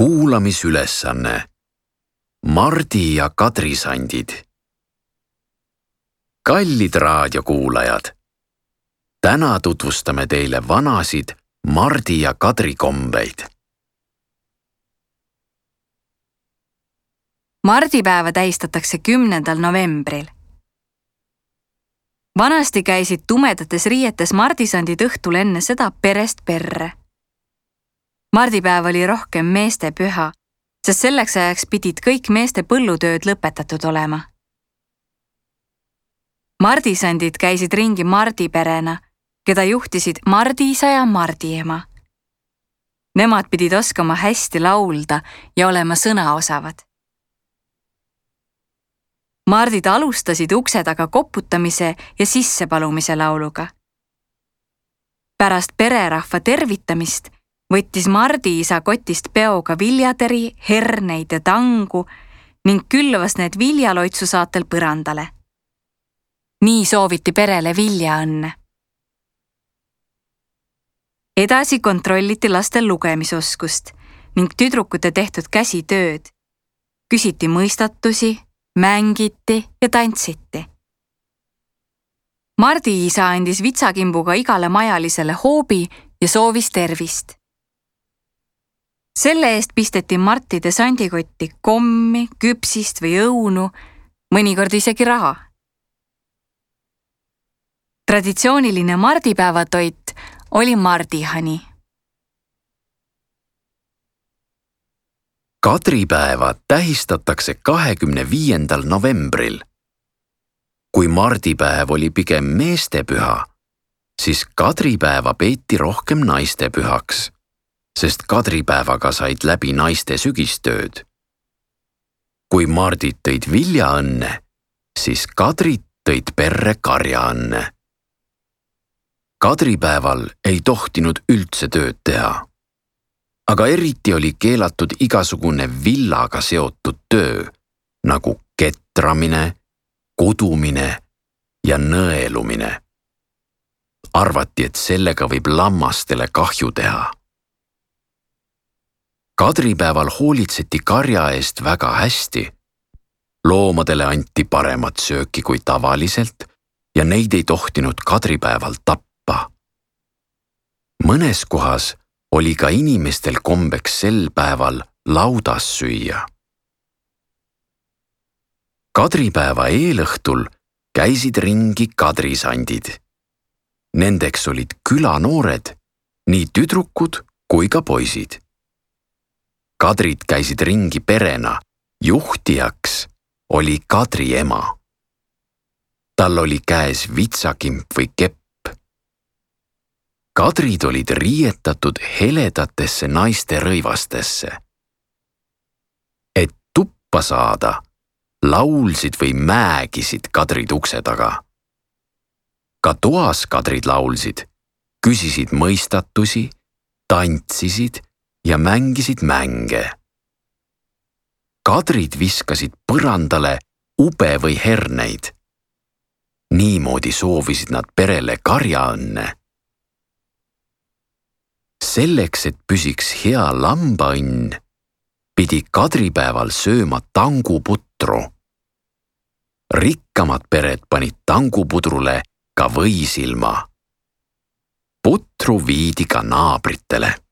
Kuulamisülesanne. Mardi ja Kadri sandid. Kallid raadiokuulajad, täna tutvustame teile vanasid Mardi ja Kadri kombeid. Mardipäeva tähistatakse 10. novembril. Vanasti käisid tumedates riietes mardisandid õhtul enne seda perest perre. Mardipäev oli rohkem meeste püha, sest selleks ajaks pidid kõik meeste põllutööd lõpetatud olema. Mardisandid käisid ringi mardiperena, keda juhtisid mardiisa ja mardiema. Nemad pidid oskama hästi laulda ja olema sõnaosavad. Mardid alustasid ukse taga koputamise ja sissepalumise lauluga. Pärast pererahva tervitamist võttis mardiisa kotist peoga viljateri, herneid ja tangu ning külvas need viljaloitsu saatel põrandale. Nii sooviti perele viljaõnne. Edasi kontrolliti lastel lugemisoskust ning tüdrukute tehtud käsitööd. Küsiti mõistatusi, mängiti ja tantsiti. Mardiisa andis vitsakimbuga igale majalisele hoobi ja soovis tervist. Selle eest pisteti martide sandikotti kommi, küpsist või õunu, mõnikord isegi raha. Traditsiooniline mardipäevatoit oli mardihani. Kadripäeva tähistatakse 25. novembril. Kui mardipäev oli pigem meestepüha, siis kadripäeva peeti rohkem naistepühaks, sest kadripäevaga said läbi naiste sügistööd. Kui mardid tõid viljaõnne, siis kadrid tõid perre karjaõnne. Kadripäeval ei tohtinud üldse tööd teha. Aga eriti oli keelatud igasugune villaga seotud töö, nagu ketramine, kudumine ja nõelumine. Arvati, et sellega võib lammastele kahju teha. Kadripäeval hoolitseti karja eest väga hästi. Loomadele anti paremat sööki kui tavaliselt ja neid ei tohtinud kadripäeval tappa. Mõnes kohas oli ka inimestel kombeks sel päeval laudas süüa. Kadripäeva eelõhtul käisid ringi kadrisandid. Nendeks olid külanoored, nii tüdrukud kui ka poisid. Kadrid käisid ringi perena, juhtijaks oli Kadri ema. Tal oli käes vitsakimp või kepp. Kadrid olid riietatud heledatesse naiste rõivastesse. Et tuppa saada, laulsid või määgisid kadrid ukse taga. Ka toas kadrid laulsid, küsisid mõistatusi, tantsisid ja mängisid mänge. Kadrid viskasid põrandale ube või herneid. Niimoodi soovisid nad perele karjaõnne. Selleks, et püsiks hea lambaõnn, pidi kadripäeval sööma tanguputru. Rikkamad pered panid tangupudrule ka võisilma. Putru viidi ka naabritele.